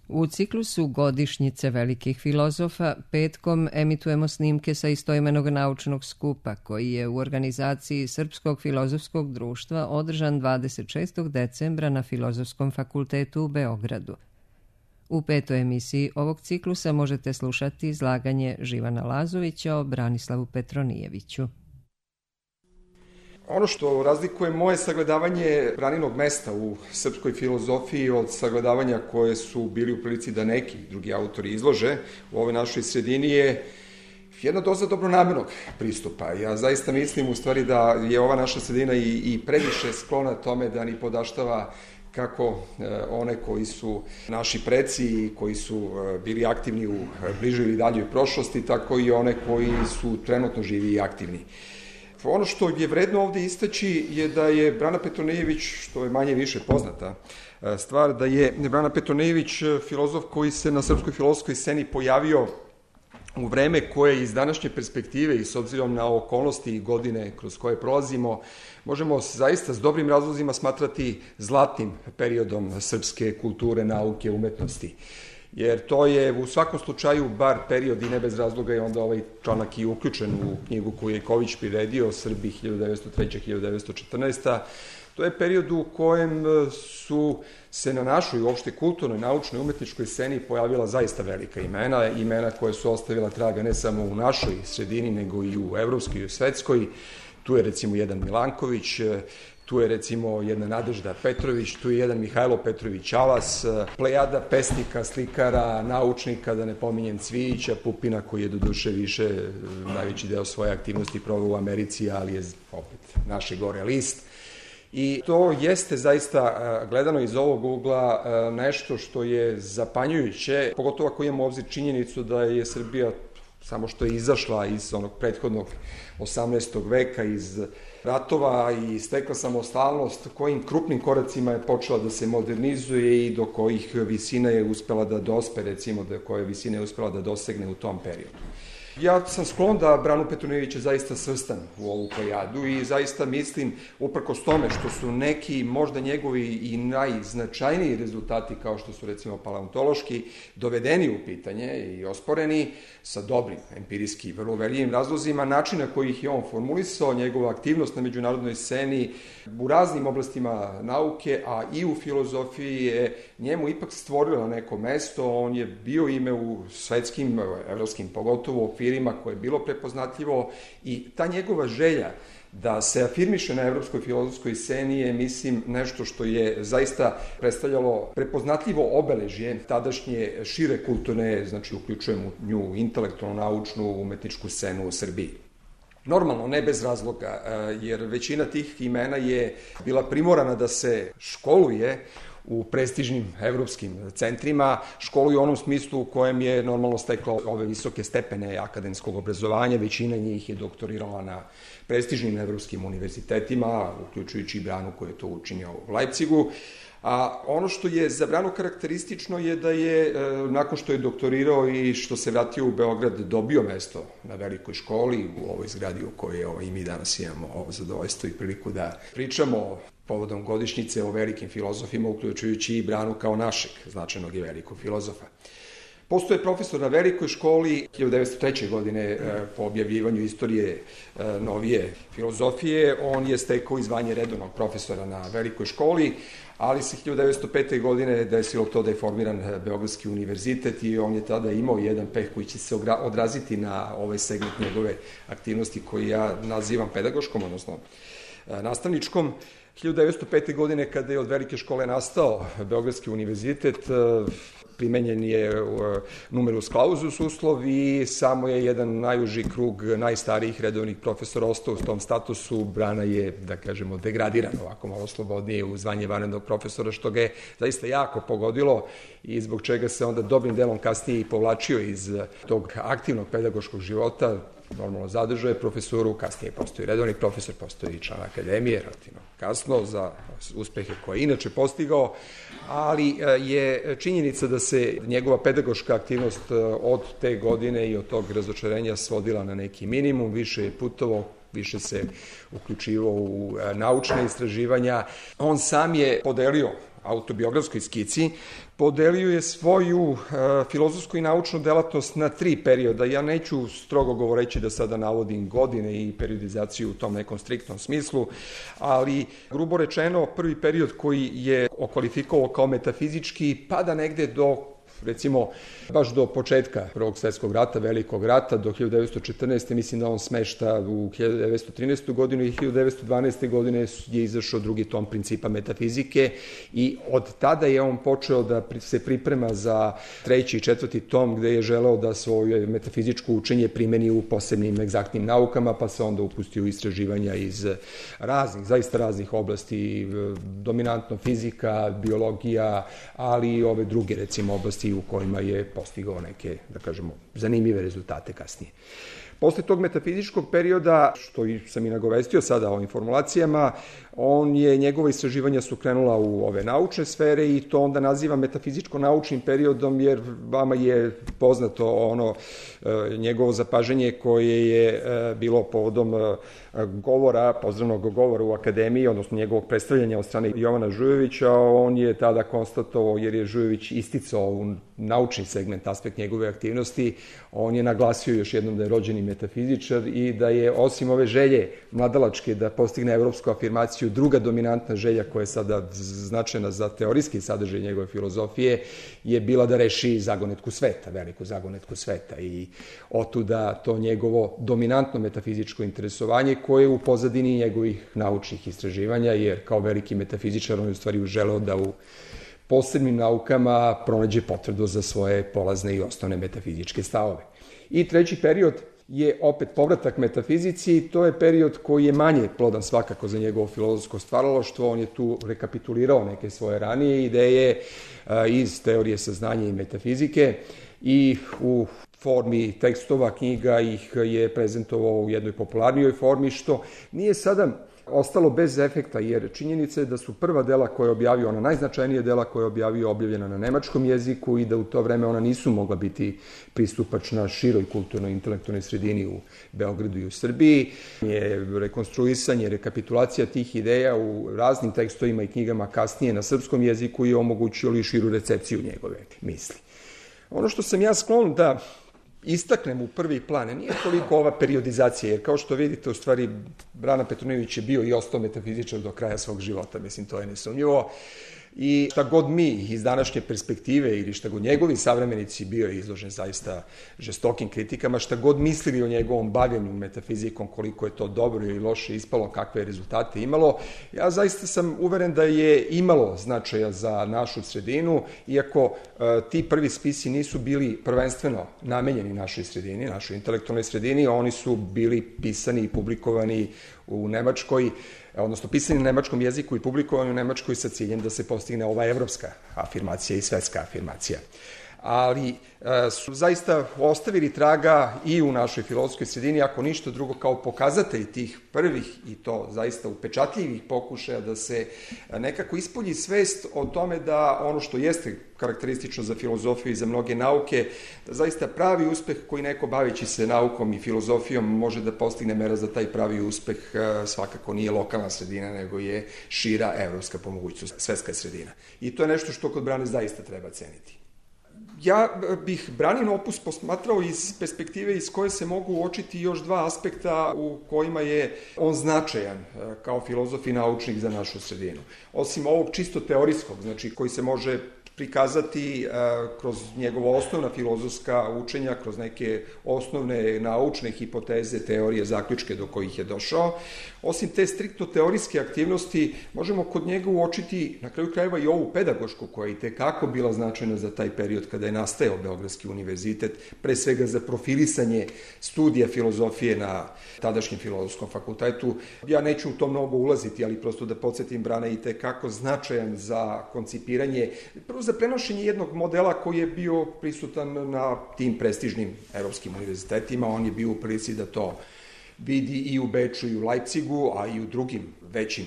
U ciklusu Godišnjice velikih filozofa petkom emitujemo snimke sa istoimenog naučnog skupa koji je u organizaciji Srpskog filozofskog društva održan 26. decembra na Filozofskom fakultetu u Beogradu. U petoj emisiji ovog ciklusa možete slušati izlaganje Živana Lazovića o Branislavu Petronijeviću. Ono što razlikuje moje sagledavanje Braninog mesta u srpskoj filozofiji od sagledavanja koje su bili u prilici da neki drugi autori izlože u ovoj našoj sredini je jedna doza dobronamernog pristupa. Ja zaista mislim u stvari da je ova naša sredina i previše sklona tome da ni podaštava kako one koji su naši preci i koji su bili aktivni u bližoj ili daljoj prošlosti, tako i one koji su trenutno živi i aktivni. Ono što je vredno ovde istaći je da je Brana Petronijević, što je manje više poznata stvar, da je Brana Petronijević filozof koji se na srpskoj filozofskoj sceni pojavio u vreme koje iz današnje perspektive i s obzirom na okolnosti i godine kroz koje prolazimo, možemo zaista s dobrim razlozima smatrati zlatnim periodom srpske kulture, nauke, umetnosti. Jer to je u svakom slučaju bar period i ne bez razloga je onda ovaj članak i uključen u knjigu koju je Ković priredio, Srbi 1903-1914. To je period u kojem su se na našoj uopšte kulturnoj, naučnoj, umetničkoj sceni pojavila zaista velika imena koje su ostavila traga ne samo u našoj sredini, nego i u evropskoj i u svetskoj. Tu je recimo jedan Milanković, tu je recimo jedna Nadežda Petrović, tu je jedan Mihajlo Petrović Alas, plejada pesnika, slikara, naučnika, da ne pominjem Cvijića, Pupina koji je doduše više najveći deo svoje aktivnosti proveo u Americi, ali je opet naši gore list. I to jeste zaista, gledano iz ovog ugla, nešto što je zapanjujuće, pogotovo ako imamo obzir činjenicu da je Srbija samo što je izašla iz onog prethodnog 18. veka, iz ratova i stekla samostalnost, kojim krupnim koracima je počela da se modernizuje i do kojih visina je uspela da dospe, recimo, do koje visine je uspela da dosegne u tom periodu. Ja sam sklon da Branu Petronijevića zaista svrstan u ovu plejadu i zaista mislim, uprkos tome što su neki možda njegovi i najznačajniji rezultati, kao što su recimo paleontološki, dovedeni u pitanje i osporeni sa dobrim, empirijski, vrlo uverljivim razlozima, način na koji ih je on formulisao, njegova aktivnost na međunarodnoj sceni u raznim oblastima nauke, a i u filozofiji je njemu ipak stvorila neko mesto, on je bio ime u svetskim, evropskim, pogotovo okvirima koje je bilo prepoznatljivo i ta njegova želja da se afirmiše na evropskoj filozofskoj sceni je, mislim, nešto što je zaista predstavljalo prepoznatljivo obeležje tadašnje šire kulturne, znači uključujemo nju intelektualnu, naučnu, umetničku scenu u Srbiji. Normalno, ne bez razloga, jer većina tih imena je bila primorana da se školuje u prestižnim evropskim centrima, školuju u onom smislu u kojem je normalno stekla ove visoke stepene akademskog obrazovanja, većina njih je doktorirala na prestižnim evropskim univerzitetima, uključujući i Branu koji je to učinio u Leipzigu. A ono što je za Branu karakteristično je da je, nakon što je doktorirao i što se vratio u Beograd, dobio mesto na velikoj školi u ovoj zgradi u kojoj i mi danas imamo zadovoljstvo i priliku da pričamo povodom godišnjice o velikim filozofima, uključujući i Branu kao našeg značajnog i velikog filozofa. Postoje profesor na velikoj školi, 1903. godine po objavljivanju istorije novije filozofije, on je stekao i zvanje redovnog profesora na velikoj školi, ali se 1905. godine desilo to da je formiran Beogradski univerzitet i on je tada imao jedan peh koji će se odraziti na ovaj segment njegove aktivnosti koji ja nazivam pedagoškom, odnosno nastavničkom. 1905. godine, kada je od velike škole nastao Beogradski univerzitet, primenjen je numerus clausus uslov i samo je jedan najuži krug najstarijih redovnih profesora ostao u tom statusu. Brana je, da kažemo, degradiran ovako malo slobodnije u zvanje vanrednog profesora, što ga je zaista jako pogodilo i zbog čega se onda dobrim delom kasnije i povlačio iz tog aktivnog pedagoškog života. Normalno zadržao je profesoru, kasnije postoji redovni profesor, postoji član akademije, relativno kasno za uspehe koje je inače postigao, ali je činjenica da se njegova pedagoška aktivnost od te godine i od tog razočarenja svodila na neki minimum, više je putovao, više se uključivao u naučne istraživanja. On sam je podelio autobiografskoj skici, podelio je svoju filozofsku i naučnu delatnost na 3 perioda. Ja neću strogo govoreći da sada navodim godine i periodizaciju u tom nekom striktnom smislu, ali grubo rečeno prvi period koji je okvalifikovao kao metafizički pada negde do, recimo, baš do početka Prvog svjetskog rata, Velikog rata, do 1914. Mislim da on smešta u 1913. godinu i 1912. godine je izašao drugi tom Principa metafizike i od tada je on počeo da se priprema za 3. i 4. tom gde je želeo da svoje metafizičko učenje primeni u posebnim egzaktnim naukama, pa se onda upustio u istraživanja iz zaista raznih oblasti, dominantno fizika, biologija, ali i ove druge, recimo, oblasti u kojima je postigao neke, da kažemo, zanimljive rezultate kasnije. Posle tog metafizičkog perioda, što sam i nagovestio sada ovim formulacijama, njegova istraživanja su krenula u ove naučne sfere i to onda naziva metafizičko-naučnim periodom jer vama je poznato njegovo zapažanje koje je bilo povodom pozdravnog govora u akademiji, odnosno njegovog predstavljanja od strane Jovana Žujovića. On je tada konstatovao, jer je Žujović isticao u naučni segment, aspekt njegove aktivnosti, on je naglasio još jednom da je rođeni metafizičar i da je osim ove želje mladalačke da postigne evropsku afirmaciju, druga dominantna želja koja je sada značajna za teorijski sadržaj njegove filozofije je bila da reši zagonetku sveta, veliku zagonetku sveta i otuda to njegovo dominantno metafizičko interesovanje koje je u pozadini njegovih naučnih istraživanja, jer kao veliki metafizičar on je u stvari želeo da u posebnim naukama pronađe potvrdu za svoje polazne i osnovne metafizičke stavove. I 3. period je opet povratak metafizici i to je period koji je manje plodan svakako za njegovo filozofsko stvaralaštvo. On je tu rekapitulirao neke svoje ranije ideje iz teorije saznanja i metafizike i u formi tekstova, knjiga ih je prezentovao u jednoj popularnijoj formi, što nije sada ostalo bez efekta, jer činjenica je da su prva dela koje je objavio, ona najznačajnije dela koje je objavio, objavljena na nemačkom jeziku i da u to vreme ona nisu mogla biti pristupačna široj kulturnoj intelektualnoj sredini u Beogradu i u Srbiji. Rekonstruisanje, rekapitulacija tih ideja u raznim tekstovima i knjigama kasnije na srpskom jeziku je omogućilo i širu recepciju njegove misli. Ono što sam ja sklon da istaknem u prvi plan, nije toliko ova periodizacija, jer kao što vidite, u stvari, Brana Petronijević je bio i ostao metafizičar do kraja svog života, mislim, to je nesumnjivo. I šta god mi iz današnje perspektive ili šta god njegovi savremenici, bio je izložen zaista žestokim kritikama, šta god mislili o njegovom bavljenju metafizikom, koliko je to dobro ili loše ispalo, kakve rezultate imalo, ja zaista sam uveren da je imalo značaja za našu sredinu, iako ti prvi spisi nisu bili prvenstveno namenjeni našoj sredini, našoj intelektualnoj sredini, oni su bili pisani i publikovani u Nemačkoj, odnosno pisani na nemačkom jeziku i publikovani u Nemačkoj sa ciljem da se postigne ova evropska afirmacija i svetska afirmacija. Ali su zaista ostavili traga i u našoj filozofskoj sredini, ako ništa drugo, kao pokazatelj tih prvih i to zaista upečatljivih pokušaja da se nekako ispolji svest o tome da ono što jeste karakteristično za filozofiju i za mnoge nauke, da zaista pravi uspeh koji neko baveći se naukom i filozofijom može da postigne mera za taj pravi uspeh svakako nije lokalna sredina, nego je šira evropska, po mogućnosti svetska sredina. I to je nešto što kod Brane zaista treba ceniti. Ja bih Branin opus posmatrao iz perspektive iz koje se mogu uočiti još dva aspekta u kojima je on značajan kao filozof i naučnik za našu sredinu. Osim ovog čisto teorijskog, znači koji se može prikazati kroz njegova osnovna filozofska učenja, kroz neke osnovne naučne hipoteze, teorije, zaključke do kojih je došao. Osim te striktno teorijske aktivnosti, možemo kod njega uočiti na kraju krajeva i ovu pedagošku koja je i tekako bila značajna za taj period kada je nastajao Beogradski univerzitet, pre svega za profilisanje studija filozofije na tadašnjem filozofskom fakultetu. Ja neću u to mnogo ulaziti, ali prosto da podsjetim, Brana je i tekako značajan za koncipiranje, prvo za prenošenje jednog modela koji je bio prisutan na tim prestižnim evropskim univerzitetima. On je bio u prilici da to vidi i u Beču i u Leipzigu, a i u drugim većim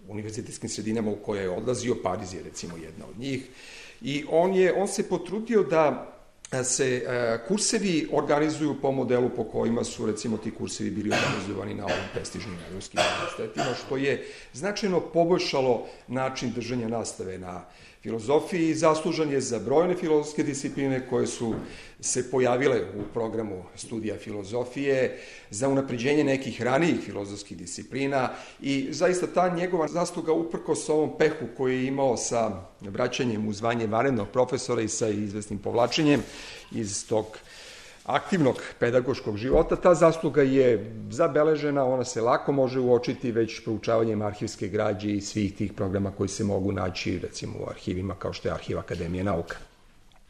univerzitetskim sredinama u koje je odlazio. Pariz je recimo jedna od njih. I on se potrudio da se kursevi organizuju po modelu po kojima su, recimo, ti kursevi bili organizovani na ovim prestižnim evropskim univerzitetima, što je značajno poboljšalo način držanja nastave na filozofiji i zaslužan je za brojne filozofske discipline koje su se pojavile u programu studija filozofije, za unapređenje nekih ranijih filozofskih disciplina i zaista ta njegova zasluga uprkos ovom pehu koji je imao sa vraćanjem u zvanje vanrednog profesora i sa izvesnim povlačenjem iz tog aktivnog pedagoškog života, ta zasluga je zabeležena, ona se lako može uočiti već proučavanjem arhivske građe i svih tih programa koji se mogu naći, recimo, u arhivima kao što je Arhiv Akademije nauka.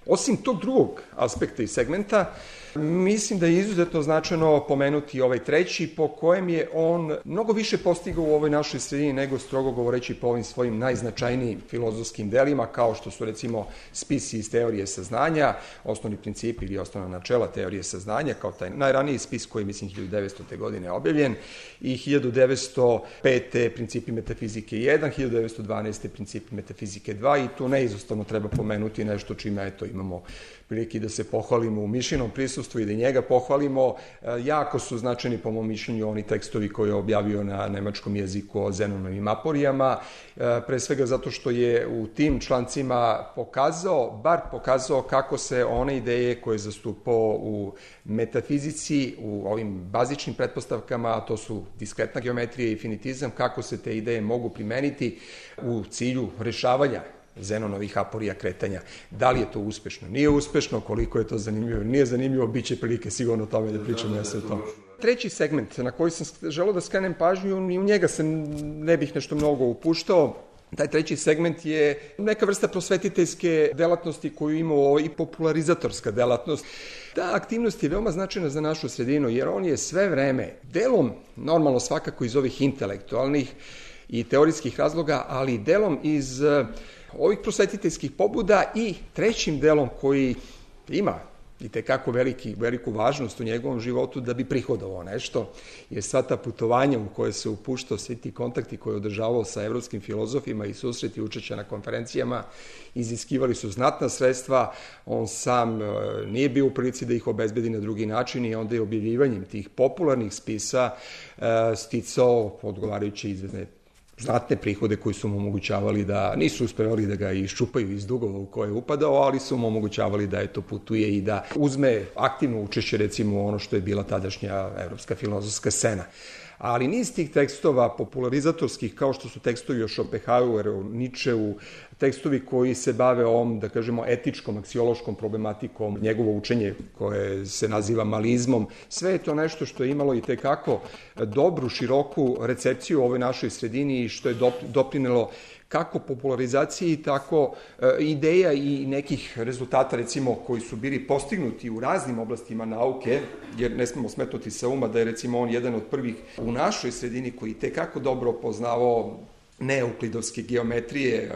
Osim tog drugog aspekta i segmenta, mislim da je izuzetno značajno pomenuti ovaj treći, po kojem je on mnogo više postigao u ovoj našoj sredini nego, strogo govoreći, po ovim svojim najznačajnijim filozofskim delima, kao što su, recimo, spisi iz teorije saznanja, osnovni principi ili osnovna načela teorije saznanja, kao taj najraniji spis koji je, mislim, 1900. godine objavljen, i 1905. principi metafizike 1, 1912. principi metafizike 2, i tu neizostavno treba pomenuti nešto čime, eto, imamo prilike da se pohvalimo u Mišinom prisustvu i da njega pohvalimo. Jako su značajni, po mom mišljenju, oni tekstovi koje je objavio na nemačkom jeziku o Zenonovim aporijama, pre svega zato što je u tim člancima pokazao kako se one ideje koje je zastupao u metafizici, u ovim bazičnim pretpostavkama, a to su diskretna geometrija i finitizam, kako se te ideje mogu primeniti u cilju rešavanja Zenonovih aporija kretanja. Da li je to uspešno, nije uspešno, koliko je to zanimljivo, nije zanimljivo, bit će prilike sigurno o tome da pričamo. Treći segment na koji sam želeo da skrenem pažnju, i u njega se ne bih nešto mnogo upuštao, taj treći segment je neka vrsta prosvetiteljske delatnosti koju ima i popularizatorska delatnost. Ta aktivnost je veoma značajna za našu sredinu, jer on je sve vreme delom, normalno svakako iz ovih intelektualnih i teorijskih razloga, ali delom iz ovih prosvetiteljskih pobuda i trećim delom koji ima i tekako veliku važnost u njegovom životu da bi prihodovao nešto, jer sva ta putovanja u koje se upuštao, svi ti kontakti koje je održavao sa evropskim filozofima i susreti učešća na konferencijama, iziskivali su znatna sredstva, on sam nije bio u prilici da ih obezbedi na drugi način i onda je objavljivanjem tih popularnih spisa sticao odgovarajuće izvedne znatne prihode koji su mu omogućavali da, nisu uspevali da ga iščupaju iz dugova u koje je upadao, ali su mu omogućavali da putuje i da uzme aktivno učešće, recimo, ono što je bila tadašnja evropska filozofska scena. Ali niz tih tekstova popularizatorskih, kao što su tekstovi o Schopenhaueru, Nietzscheu, tekstovi koji se bave ovom, da kažemo, etičkom, aksiološkom problematikom, njegovo učenje koje se naziva malizmom, sve je to nešto što je imalo i tekako dobru, široku recepciju u ovoj našoj sredini i što je doprinelo kako popularizaciji, tako ideja i nekih rezultata, recimo, koji su bili postignuti u raznim oblastima nauke, jer ne smemo smetnuti sa uma da je, recimo, on jedan od prvih u našoj sredini koji tekako dobro poznavao neuklidovske geometrije,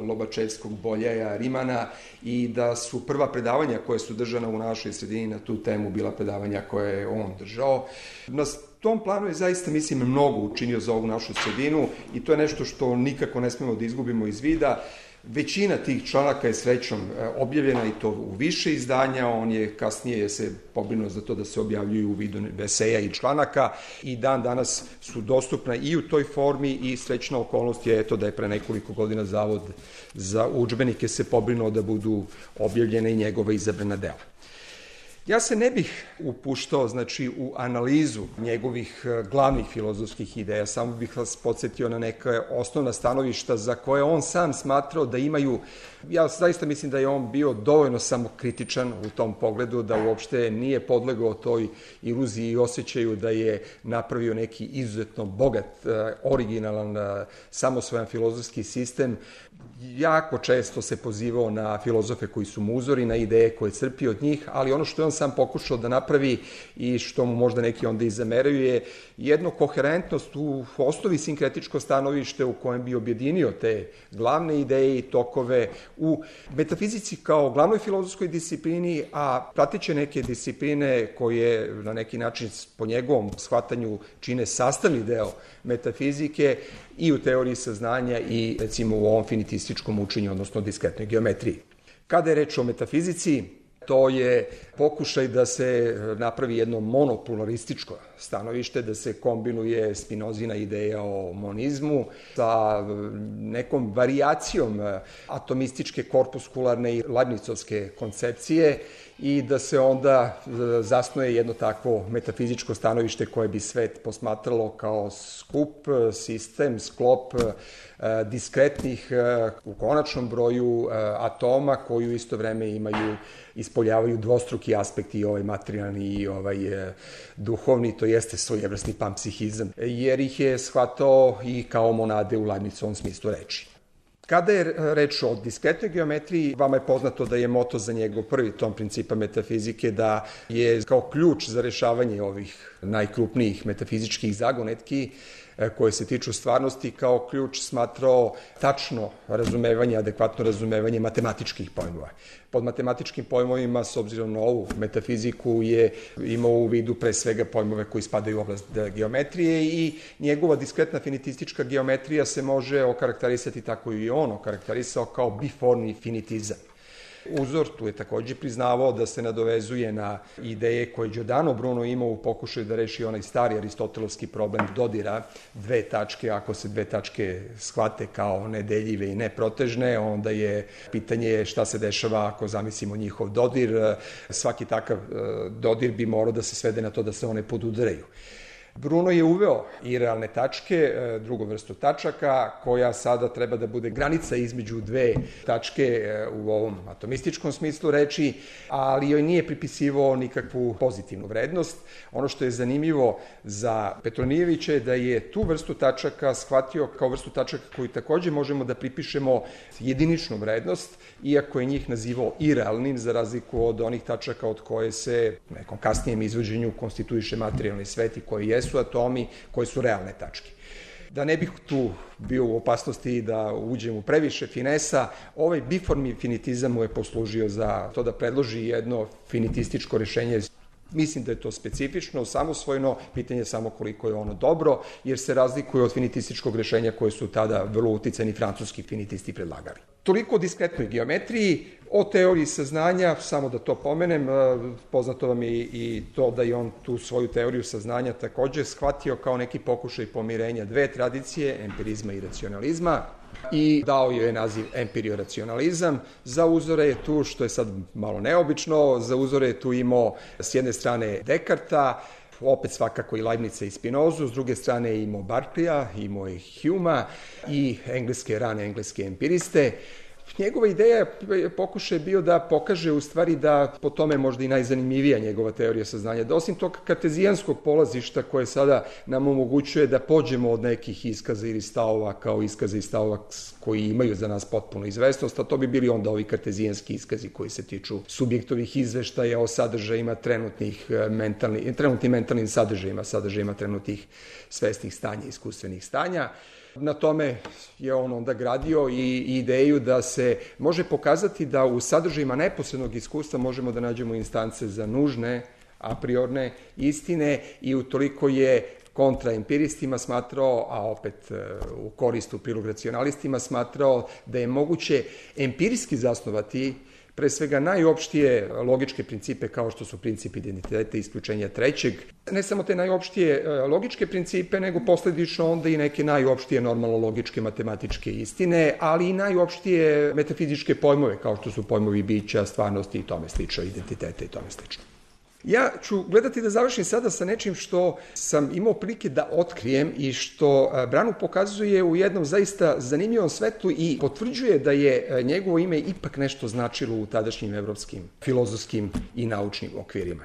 Lobačevskog, Boljaja, Rimana, i da su prva predavanja koje su držana u našoj sredini na tu temu bila predavanja koje je on držao. Na tom planu je zaista, mislim, mnogo učinio za ovu našu sredinu i to je nešto što nikako ne smemo da izgubimo iz vida. Većina tih članaka je srećom objavljena i to u više izdanja, on je kasnije se pobrinuo za to da se objavljuju u vidu eseja i članaka i dan danas su dostupna i u toj formi i srećna okolnost je da je pre nekoliko godina Zavod za udžbenike se pobrinuo da budu objavljene i njegova izabrana dela. Ja se ne bih upuštao, u analizu njegovih glavnih filozofskih ideja, samo bih vas podsjetio na neka osnovna stanovišta za koje on sam smatrao da imaju, ja zaista mislim da je on bio dovoljno samokritičan u tom pogledu, da uopšte nije podlegao toj iluziji i osjećaju da je napravio neki izuzetno bogat, originalan, samosvojan filozofski sistem. Jako često se pozivao na filozofe koji su mu uzori, na ideje koje crpi od njih, ali ono što je on sam pokušao da napravi i što mu možda neki onda i zameraju je jedno koherentnost u osnovi sinkretičko stanovište u kojem bi objedinio te glavne ideje i tokove u metafizici kao glavnoj filozofskoj disciplini, a prateće neke discipline koje na neki način po njegovom shvatanju čine sastavni deo metafizike i u teoriji saznanja i, recimo, u ovom finitističkom učenju, odnosno diskretnoj geometriji. Kada je reč o metafizici, to je pokušaj da se napravi jedno monopolarističko stanovište, da se kombinuje Spinozina ideja o monizmu sa nekom varijacijom atomističke, korpuskularne i Leibnizovske koncepcije i da se onda zasnuje jedno takvo metafizičko stanovište koje bi svet posmatralo kao skup, sistem, sklop diskretnih u konačnom broju atoma koji u isto vreme ispoljavaju dvostruki aspekt i ovaj materijalni i ovaj duhovni, to jeste svojevrsni panpsihizam, jer ih je shvatao i kao monade u Leibnizovom smislu reči. Kada je reč o diskretnoj geometriji, vama je poznato da je moto za njegov prvi tom principa metafizike da je kao ključ za rešavanje ovih najkrupnijih metafizičkih zagonetki koje se tiču stvarnosti, kao ključ smatrao tačno razumevanje, adekvatno razumevanje matematičkih pojmova. Pod matematičkim pojmovima, s obzirom na ovu metafiziku, je imao u vidu pre svega pojmove koji spadaju u oblast geometrije i njegova diskretna finitistička geometrija se može okarakterisati tako i on okarakterisao kao biformni finitizam. Uzor tu je takođe priznavao da se nadovezuje na ideje koje Giordano Bruno imao u pokušaju da reši onaj stari aristotelovski problem dodira dve tačke. Ako se dve tačke shvate kao nedeljive i neprotežne, onda je pitanje šta se dešava ako zamislimo njihov dodir. Svaki takav dodir bi morao da se svede na to da se one podudaraju. Bruno je uveo i realne tačke, drugu vrstu tačaka, koja sada treba da bude granica između dve tačke u ovom atomističkom smislu reči, ali joj nije pripisivao nikakvu pozitivnu vrednost. Ono što je zanimljivo za Petronijevića je da je tu vrstu tačaka shvatio kao vrstu tačaka koju takođe možemo da pripišemo jediničnu vrednost, iako je njih nazivao irealnim, za razliku od onih tačaka od koje se u nekom kasnijem izvođenju konstituiše materijalni svet i koji jesu atomi, koji su realne tačke. Da ne bih tu bio u opasnosti da uđem u previše finesa, ovaj biformni finitizam mu je poslužio za to da predloži jedno finitističko rešenje. Mislim da je to specifično, samosvojno, pitanje je samo koliko je ono dobro, jer se razlikuje od finitističkog rešenja koje su tada vrlo uticani francuski finitisti predlagali. Toliko o diskretnoj geometriji, o teoriji saznanja, samo da to pomenem, poznato vam je i to da je on tu svoju teoriju saznanja takođe shvatio kao neki pokušaj pomirenja dve tradicije, empirizma i racionalizma, i dao joj je naziv empirioracionalizam. Za uzore je tu, što je sad malo neobično, za uzore je tu imao s jedne strane Dekarta, opet svakako i Leibnica i Spinozu, s druge strane je imao Berkeleya, imao je Humea i rane engleske empiriste. Njegova ideja pokušaj je bio da pokaže u stvari da po tome možda i najzanimljivija njegova teorija saznanja, da osim tog kartezijanskog polazišta koje sada nam omogućuje da pođemo od nekih iskaza ili stavova kao iskaza i stavova koji imaju za nas potpuno izvesnost, a to bi bili onda ovi kartezijanski iskazi koji se tiču subjektovih izveštaja o sadržajima trenutnim mentalnim sadržajima trenutnih svesnih stanja, iskustvenih stanja. Na tome je on onda gradio i ideju da se može pokazati da u sadržajima neposrednog iskustva možemo da nađemo instance za nužne, a priorne istine i utoliko je kontra empiristima smatrao, a opet u korist u prilog racionalistima smatrao da je moguće empirijski zasnovati pre svega najopštije logičke principe kao što su princip identiteta i isključenja trećeg. Ne samo te najopštije logičke principe, nego posledično onda i neke najopštije normalno logičke matematičke istine, ali i najopštije metafizičke pojmove kao što su pojmovi bića, stvarnosti i tome slično, identiteta i tome slično. Ja ću gledati da završim sada sa nečim što sam imao prilike da otkrijem i što Branu pokazuje u jednom zaista zanimljivom svetlu i potvrđuje da je njegovo ime ipak nešto značilo u tadašnjim evropskim filozofskim i naučnim okvirima.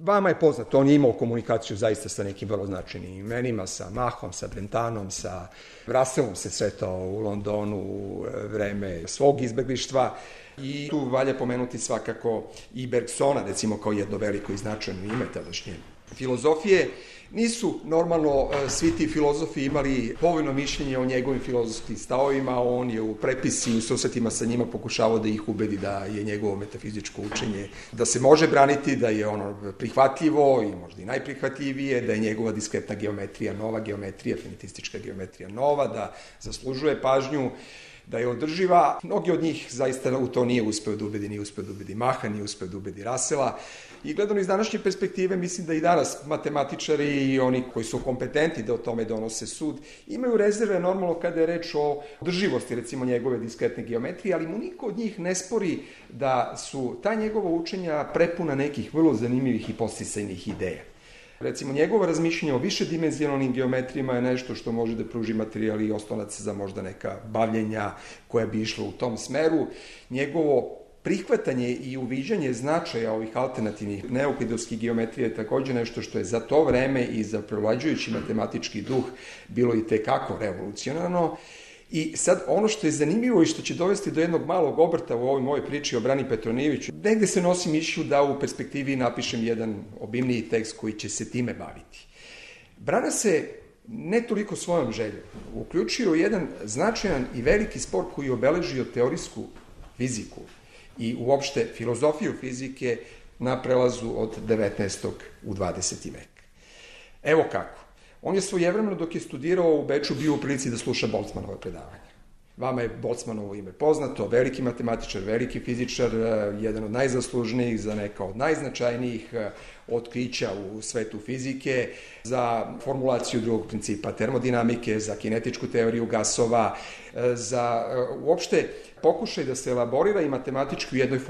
Vama je poznato, on je imao komunikaciju zaista sa nekim vrlo značajnim imenima, sa Machom, sa Brentanom, sa Russellom se sretao u Londonu u vreme svog izbeglištva. I tu valja pomenuti svakako i Bergsona, recimo kao jedno veliko i značajno ime tadašnje filozofije. Nisu normalno svi ti filozofi imali povoljno mišljenje o njegovim filozofskim stavovima, on je u prepisi i u susretima sa njima pokušavao da ih ubedi da je njegovo metafizičko učenje, da se može braniti, da je ono prihvatljivo i možda i najprihvatljivije, da je njegova diskretna geometrija nova geometrija, finitistička geometrija nova, da zaslužuje pažnju. da je održiva. Mnogi od njih zaista u to nije uspeo da ubedi Maha, nije uspeo da ubedi Russella. I gledano iz današnje perspektive, mislim da i danas matematičari i oni koji su kompetentni da o tome donose sud, imaju rezerve normalno kada je reč o održivosti, recimo njegove diskretne geometrije, ali mu niko od njih ne spori da su ta njegova učenja prepuna nekih vrlo zanimljivih i podsticajnih ideja. Recimo, njegovo razmišljanje o višedimenzionalnim geometrijama je nešto što može da pruži materijal i oslonac za možda neka bavljenja koja bi išla u tom smeru. Njegovo prihvatanje i uviđanje značaja ovih alternativnih neeuklidovskih geometrija je takođe nešto što je za to vreme i za prevlađujući matematički duh bilo i tekako revolucionarno. I sad ono što je zanimljivo i što će dovesti do jednog malog obrta u ovoj mojoj priči o Brani Petronijeviću, negde se nosi mišlju da u perspektivi napišem jedan obimniji tekst koji će se time baviti. Brana se ne toliko svojom željom uključio jedan značajan i veliki spor koji je obeležio teorijsku fiziku i uopšte filozofiju fizike na prelazu od 19. u 20. vek. Evo kako. On je svojevremeno dok je studirao u Beču bio u prilici da sluša Boltzmannove predavanja. Vama je Boltzmannovo ime poznato, veliki matematičar, veliki fizičar, jedan od najzaslužnijih za neka od najznačajnijih otkrića u svetu fizike, za formulaciju drugog principa termodinamike, za kinetičku teoriju gasova, za uopšte pokušaj da se elaborira i matematički u jednoj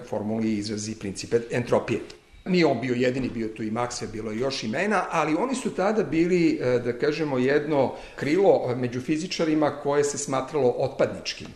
formuli izrazi princip entropije. Nije on bio jedini, bio tu i Maxwell, bilo je još imena, ali oni su tada bili, da kažemo, jedno krilo među fizičarima koje se smatralo otpadničkim.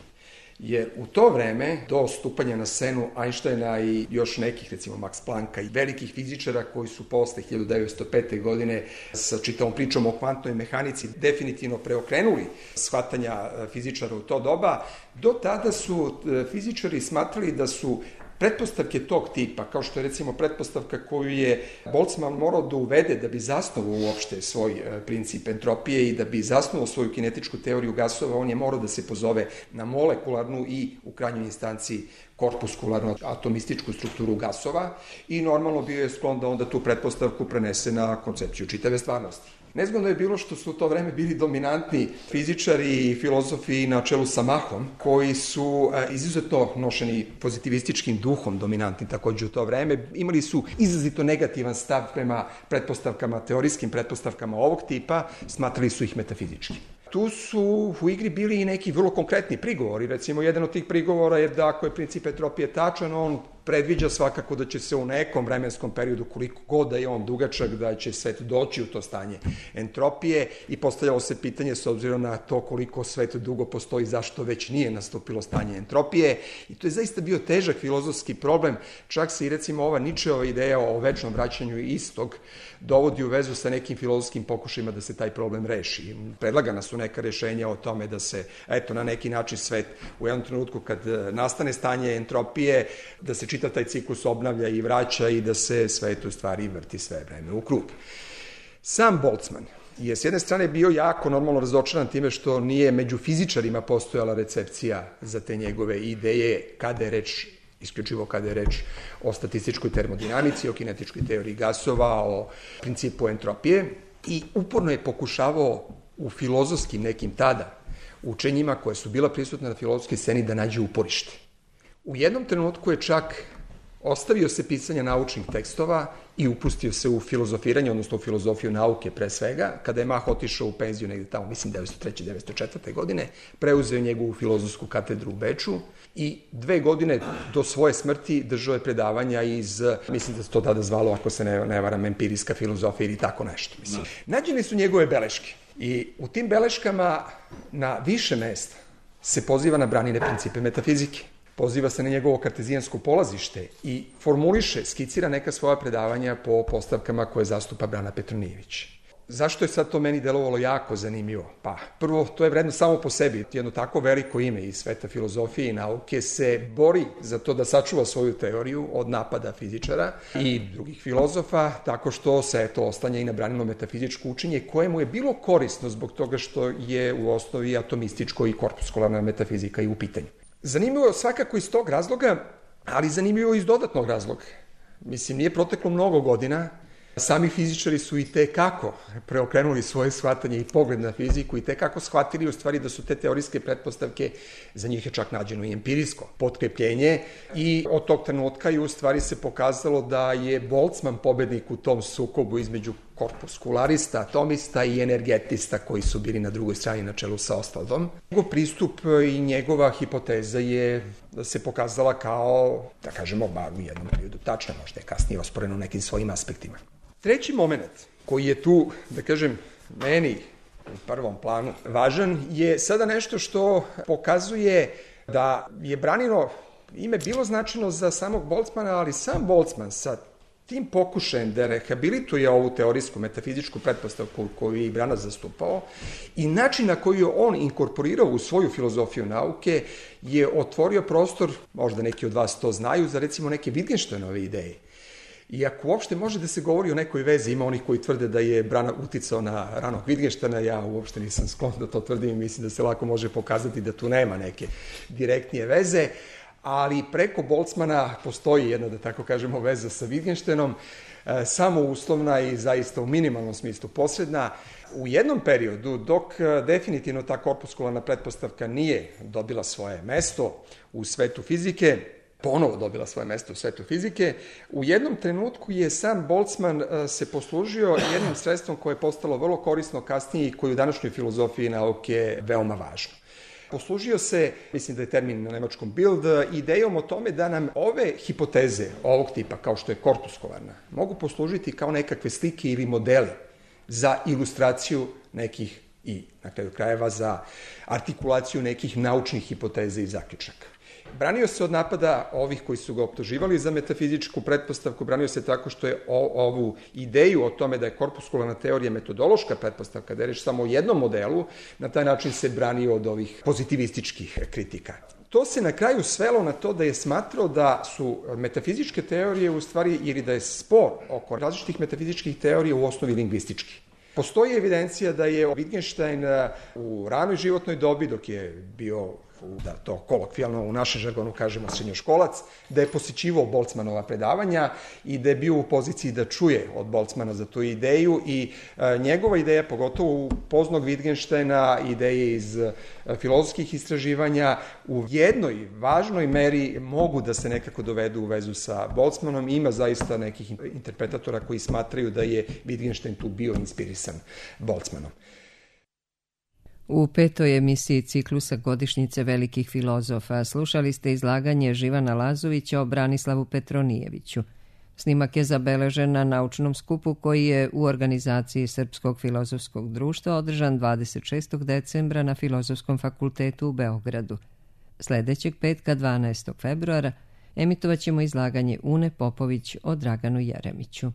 Jer u to vreme, do stupanja na scenu Einsteina i još nekih, recimo Max Plancka i velikih fizičara koji su posle 1905. godine sa čitavom pričom o kvantnoj mehanici definitivno preokrenuli shvatanja fizičara u to doba, do tada su fizičari smatrali da su pretpostavke tog tipa, kao što je recimo pretpostavka koju je Boltzmann morao da uvede da bi zasnovao uopšte svoj princip entropije i da bi zasnovao svoju kinetičku teoriju gasova, on je morao da se pozove na molekularnu i u krajnjoj instanciji korpuskularnu atomističku strukturu gasova i normalno bio je sklon da onda tu pretpostavku prenese na koncepciju čitave stvarnosti. Nezgodno je bilo što su u to vreme bili dominantni fizičari i filozofi na čelu sa Mahom, koji su izuzetno nošeni pozitivističkim duhom dominantni takođe u to vreme. Imali su izrazito negativan stav prema pretpostavkama, teorijskim pretpostavkama ovog tipa, smatrali su ih metafizički. Tu su u igri bili i neki vrlo konkretni prigovori. Recimo, jedan od tih prigovora je da ako je princip entropije tačan, on predviđa svakako da će se u nekom vremenskom periodu, koliko god da je on dugačak, da će svet doći u to stanje entropije i postavljalo se pitanje s obzirom na to koliko svet dugo postoji, zašto već nije nastupilo stanje entropije. I to je zaista bio težak filozofski problem. Čak se i recimo ova Nietzscheova ideja o večnom vraćanju istog dovodi u vezu sa nekim filozofskim pokušajima da se taj problem reši. Predlagana su neka rešenja o tome da se, eto, na neki način svet u jednom trenutku kad nastane stanje entropije, da se čitav taj ciklus obnavlja i vraća i da se svet u stvari vrti sve vreme u krug. Sam Boltzmann je s jedne strane bio jako normalno razočaran time što nije među fizičarima postojala recepcija za te njegove ideje kada je reč isključivo kada je reč o statističkoj termodinamici, o kinetičkoj teoriji gasova, o principu entropije i uporno je pokušavao u filozofskim nekim tada učenjima koje su bila prisutna na filozofskoj sceni da nađe uporište. U jednom trenutku je čak ostavio se pisanja naučnih tekstova i upustio se u filozofiranje, odnosno u filozofiju nauke pre svega. Kada je Mach otišao u penziju negde tamo, mislim 1903. 1904. godine, preuzeo njegovu filozofsku katedru u Beču i 2 godine do svoje smrti držao je predavanja iz, mislim da se to tada zvalo, ako se ne varam, empirijska filozofija ili tako nešto. Nađene su njegove beleške i u tim beleškama na više mesta se poziva na Branine principe metafizike. Poziva se na njegovo kartezijansko polazište i formuliše, skicira neka svoja predavanja po postavkama koje zastupa Brana Petronijević. Zašto je sad to meni delovalo jako zanimljivo? Pa, prvo, to je vredno samo po sebi. Jedno tako veliko ime iz sveta filozofije i nauke se bori za to da sačuva svoju teoriju od napada fizičara i drugih filozofa, tako što se to oslanja i na Branino metafizičko učenje, koje mu je bilo korisno zbog toga što je u osnovi atomističko i korpuskularna metafizika i u pitanju. Zanimljivo je svakako iz tog razloga, ali zanimljivo iz dodatnog razloga. Mislim, nije proteklo mnogo godina Sami fizičari su i tekako preokrenuli svoje shvatanje i pogled na fiziku i tekako shvatili u stvari da su te teorijske pretpostavke, za njih je čak nađeno i empirijsko potkrepljenje i od tog trenutka je u stvari se pokazalo da je Boltzmann pobednik u tom sukobu između korpuskularista, atomista i energetista koji su bili na drugoj strani na čelu sa Ostwaldom. Njegov pristup i njegova hipoteza je se pokazala kao, da kažemo, bar u jednom periodu tačna, možda je kasnije osporeno nekim svojim aspektima. Treći moment koji je tu, da kažem, meni u prvom planu važan je sada nešto što pokazuje da je Branino ime bilo značajno za samog Boltzmana, ali sam Boltzmann sa tim pokušajem da rehabilituje ovu teorijsku metafizičku pretpostavku koju je i Brana zastupao i način na koji je on inkorporirao u svoju filozofiju nauke je otvorio prostor, možda neki od vas to znaju, za recimo neke Wittgensteinove ideje. I ako uopšte može da se govori o nekoj vezi, ima onih koji tvrde da je Brana uticao na ranog Wittgensteina, ja uopšte nisam sklon da to tvrdim i mislim da se lako može pokazati da tu nema neke direktnije veze, ali preko Boltzmana postoji jedna, da tako kažemo, veza sa Wittgensteinom, samo uslovna i zaista u minimalnom smislu posredna. U jednom periodu, dok definitivno ta korpuskularna pretpostavka nije dobila svoje mesto u svetu fizike, ponovo dobila svoje mesto u svetu fizike, u jednom trenutku je sam Boltzmann se poslužio jednim sredstvom koje je postalo vrlo korisno kasnije i koje u današnjoj filozofiji nauke je veoma važno. Poslužio se, mislim da je termin na nemačkom Bild, idejom o tome da nam ove hipoteze ovog tipa, kao što je korpuskularna, mogu poslužiti kao nekakve slike ili modeli za ilustraciju nekih i, na kraju krajeva, za artikulaciju nekih naučnih hipoteza i zaključaka. Branio se od napada ovih koji su ga optuživali za metafizičku pretpostavku, branio se tako što je ovu ideju o tome da je korpuskularna teorija metodološka pretpostavka, da je reč samo o jednom modelu, na taj način se branio od ovih pozitivističkih kritika. To se na kraju svelo na to da je smatrao da su metafizičke teorije u stvari, ili da je spor oko različitih metafizičkih teorija u osnovi lingvistički. Postoji evidencija da je Wittgenstein u ranoj životnoj dobi, dok je bio, da to kolokvijalno u našem žargonu kažemo srednjoškolac, da je posjećivao Boltzmannova predavanja i da je bio u poziciji da čuje od Boltzmanna za tu ideju i njegova ideja, pogotovo u poznog Wittgensteina, ideje iz filozofskih istraživanja, u jednoj važnoj meri mogu da se nekako dovedu u vezu sa Boltzmannom. Ima zaista nekih interpretatora koji smatraju da je Wittgenstein tu bio inspirisan Boltzmannom. U 5. emisiji ciklusa Godišnjice velikih filozofa slušali ste izlaganje Živana Lazovića o Branislavu Petronijeviću. Snimak je zabeležen na naučnom skupu koji je u organizaciji Srpskog filozofskog društva održan 26. decembra na Filozofskom fakultetu u Beogradu. Sledećeg petka 12. februara emitovat ćemo izlaganje Une Popović o Draganu Jeremiću.